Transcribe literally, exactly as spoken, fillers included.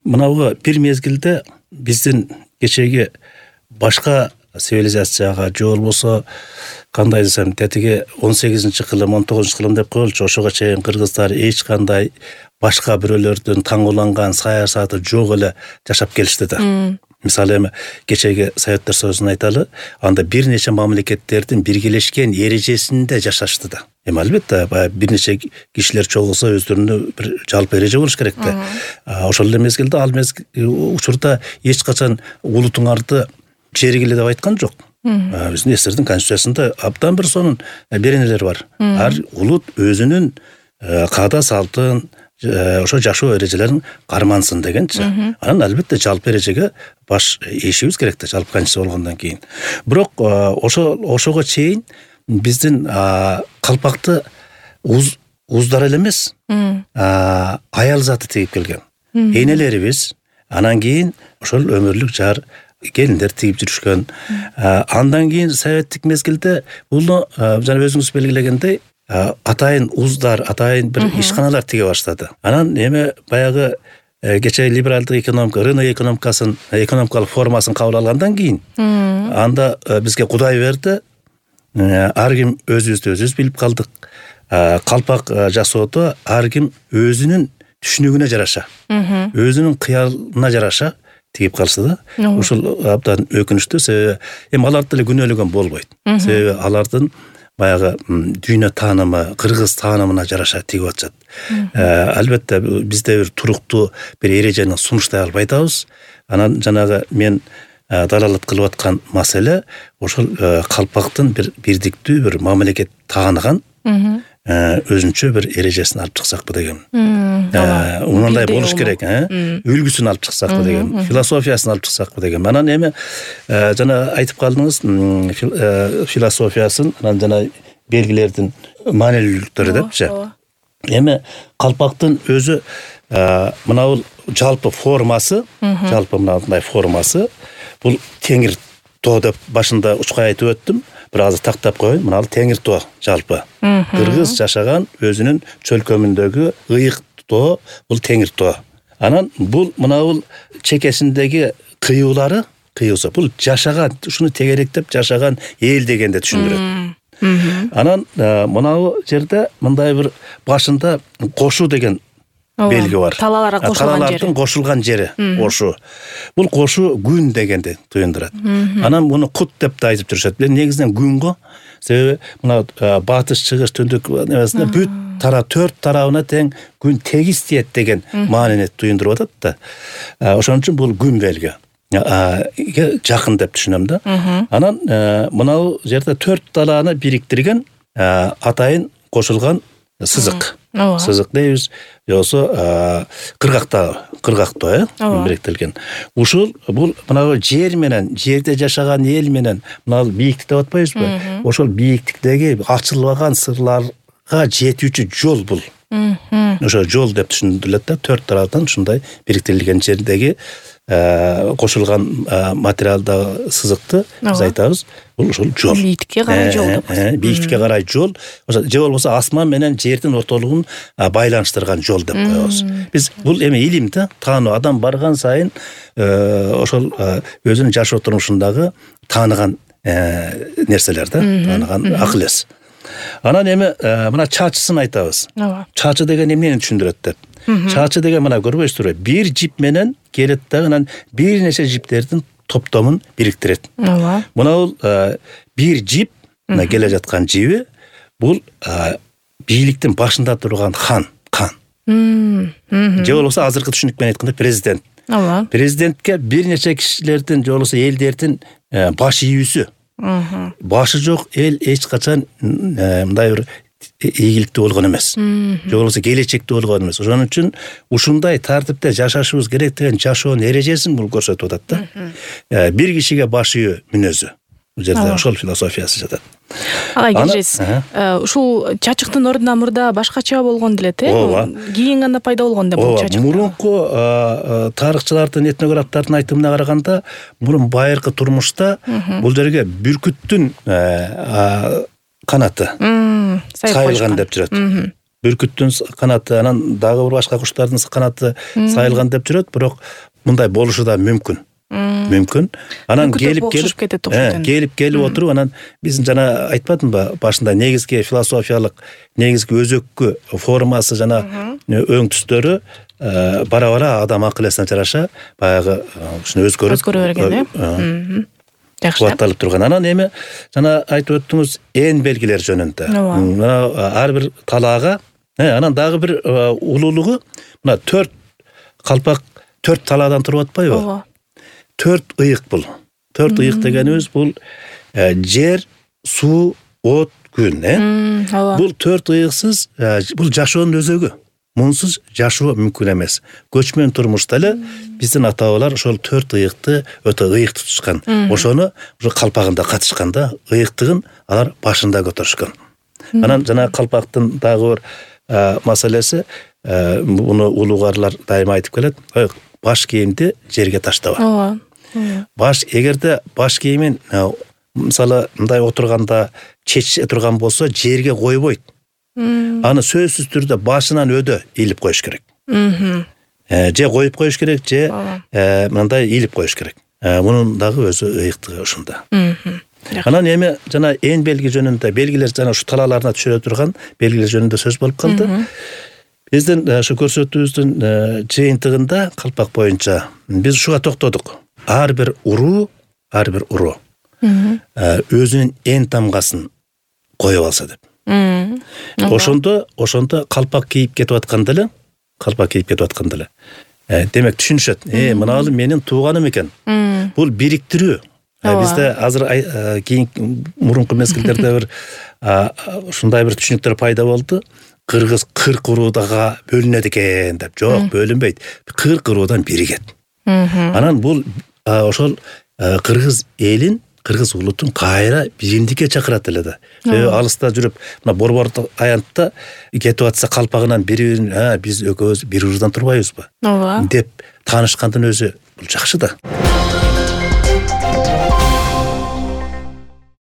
мынауга бир мезгилде биздин кечеги башка цивилизацияга же болбосо кандай десем тетиги он сегизинчи кылым он тогузунчу кылым деп коелучу, ошого чейин кыргыздар эч кандай башка бирөөлөрдүн таңууланган саясаты жок эле жашап келишти да. Мисалы эми кечеги Советтер Союзун айталы, анда бир нече мамлекеттердин биргелешкен эрежесинде жашашты да. Эми албетте баягы бир нече кишилер чогулса өздөрүнө бир жалпы эреже болуш керек да. Ошол эле мезгилде ал мезгил учурда эч качан улутуңарды жергиле деп айткан жок. Биздин эстердин конституциясында абдан бир сонун беренелер бар. Ар улут өзүнүн каада салтын, ошо жашоо эрежелерин кармансын дегенчи. Анан албетте жалпы эрежеге баш ийишибиз керек да, жалпы конституция болгондон кийин. Бирок ошо ошого чейин биздин калпакты уз уздар эле эмес, аял заты тигип келген. Энелерибиз анан кийин ошол өмүрлүк жар келиндер тигип жүрүшкөн. Андан кийин советтик мезгилде бул жана өзүңүз белгилегендей атайын уздар, атайын бир ишканалар тиге баштады. Анан эми баягы кече либералдык экономика, рынок экономикасын, экономикалык формасын кабыл алгандан кийин анда бизге Кудай берди. Ар ким өзүбүздү өзүбүз билип калдык. Калпак жасоодо ар ким өзүнүн түшүнүгүнө жараша, өзүнүн кыялына жараша тигип калса да. Ушул абдан өкүнүчтүү. Себеби эми аларды деле күнөөлөгөн болбойт. Себеби алардын баягы дүйнө таанымы, кыргыз таанымына жараша тигип атышат. Албетте бизде бир туруктуу бир эрежени сунуштай албайбыз. Анан жанагы мен далалат кылып аткан маселе ошол калпактын бир бирдиктүү бир мамлекет тааныган өзүнчө бир эрежесин алып чыксакпы деген. Мындай болуш керек, үлгүсүн алып чыксакпы деген, философиясын алып чыксакпы деген. Анан эми жана айтып калдыңыз философиясын, анан жана белгилердин маанилүүлүктөрү депчи. Эми калпактын өзү мынау жалпы формасы, жалпы мындай формасы бул теңир тоо деп башында учкай айтып өттүм. Бир азыр тактап коеюн. Мына ал теңир тоо жалпы. Кыргыз жашаган өзүнүн чөлкөмүндөгү ыйык тоо бул теңир тоо. Анан бул мына бул чекесиндеги кыюулары, кыюусу бул жашаган, ушуну тегеректеп жашаган эл дегенде түшүндүрөт. Анан мына бул жерде мындай бир башында кошу деген белги бар. Талаларга кошулган жери. Талалардын кошулган жери кошу. Бул кошу күн дегенди туюндурат. Анан муну кут деп да айтып жүрүшөт. Негизинен күн го. Себеби мына батыш, чыгыш, түндүк эмесинде бүт тарап төрт тарабына тең күн тегиз тиет деген маанини туюндуруп атат да. Ошон үчүн бул күн белги. Жакын деп түшүнөм да. Анан мына жерде төрт талааны бириктирген атайын кошулган сызык. Сызык дейбиз. Жосо кыргакта, кыргактоо бириктирилген. Ушул бул мына жер менен, жерде жашаган эл менен мына бийиктик деп атпайбызбы? Ошол бийиктиктеги ачылбаган сырларга жетүүчү жол бул. Ошо жол деп түшүндүрүлөт да, төрт тараптан ушундай бириктирилген жердеги кошулган материалдагы сызыкты биз айтабыз. Бул ушул жол. Бийиктикке карай жол деп. Бийиктикке карай жол, же болбосо асман менен жердин ортолугун байланыштырган жол деп коебуз. Биз бул эми илим да, таануу, адам барган сайын ошол өзүнүн жашоо турмушундагы тааныган нерселер да, тааныган акыл эс. Анан эми мына чачысын айтабыз. Чачы деген эмнени түшүндүрөт деп. Чачы деген мына көрбөйсүзбү? Бир жип менен келет да, анан бир нече жиптердин топтомун бириктирет. Мына бул бир жип, мына келе жаткан жиби, бул бийликтин башында турган хан, кан. Же болбосо азыркы түшүнүк менен айтканда президент. Президентке бир нече кишилердин, же болбосо элдердин баш ийүүсү. Башы жок эл эч качан мындай бир ийгиликтүү болгон эмес. Же болбосо келечекте болгон эмес. Ошон үчүн ушундай тартипте жашашыбыз керек деген жашоонун эрежесин бул көрсөтүп атат да. Бир кишиге баш ийүү мүнөзү. Бул жерде ошол философиясы жатат. Ага, кежиз. Ушул чачыктын ордуна мурда башкача болгон делет, э? Кийин гана пайда болгон деп бул чачык. Мурунку тарыхчылардын, этнографтардын айтымына караганда, мурун байыркы турмушта бул жерге бүркүттүн канаты сайылган деп жүрөт. бүркүттүн канаты, анан дагы бир башка куштардын канаты сайылган деп жүрөт, бирок мындай болушу да мүмкүн. Мүмкүн. Анан келип келип келип келип отуруп, анан биздин жана айтпадымбы башында негизги философиялык, негизги өзөккү формасы жана өң түстөрү бара-бара адам акыл эсине жараша баягы ушуну өзгөрүп өзгөрө берген, э? Жакшы. Кубатталып турган. Анан эми жана айтып өттүңүз эн белгилер жөнүндө. Мына ар бир талаага, анан дагы бир улуулугу, мына төрт калпак төрт талаадан туруп атпайбы? Ооба. Төрт ыйык бул. Төрт ыйык дегенибиз бул жер, суу, от, күн, э? Бул төрт ыйыксыз бул жашоонун өзөгү. Мунсуз жашоо мүмкүн эмес. Көчмөн турмушта эле биздин ата-бабалар ошол төрт ыйыкты өтө ыйык тутушкан. Ошону ушу калпагында катышкан да, ыйыктыгын алар башында көтөрүшкөн. Анан жана калпактын дагы бир маселеси, муну улугарлар дайыма айтып келет, баш кийимди жерге таштаба. Ооба. Баш эгерде баш кийимин мисалы мындай отурганда чече турган болсо жерге койбойт. Аны сөзсүз түрдө башынан өдө илип коюш керек. Же коюп коюш керек, же мындай илип коюш керек. Мунун дагы өзү ыйыктыгы ушунда. Анан эми жана эң белги жөнүндө белгилер жана ушу талааларына түшүрө турган белгилер жөнүндө сөз болуп калды. Биздин ушу көрсөтүүбүздүн жыйынтыгында калпак боюнча биз ушуга токтодук. Ар бир уруу, ар бир уруу өзүнүн эн тамгасын коюп алса деп. Ошондо, ошондо калпак кийип кетип атканда эле, калпак кийип кетип атканда эле. Демек түшүнүшөт. Э, мыналы менин тууганым экен. Бул бириктирүү. Бизде азыр кийинки мурунку мезгилдерде бир ушундай бир түшүнүктөр пайда болду. Кыргыз кырк уруудага бөлүнөт экен деп. Жок, бөлүнбөйт. кырк уруудан биригет. Анан бул ошол кыргыз элин, кыргыз улутун кайра биримдикке чакырат эле да. Алыста жүрүп, мына Борбордук аянтта кетип атса калпагынан бири, "А, биз экөөбүз бир уруудан турбайбызбы?" деп таанышкандын өзү бул жакшы да.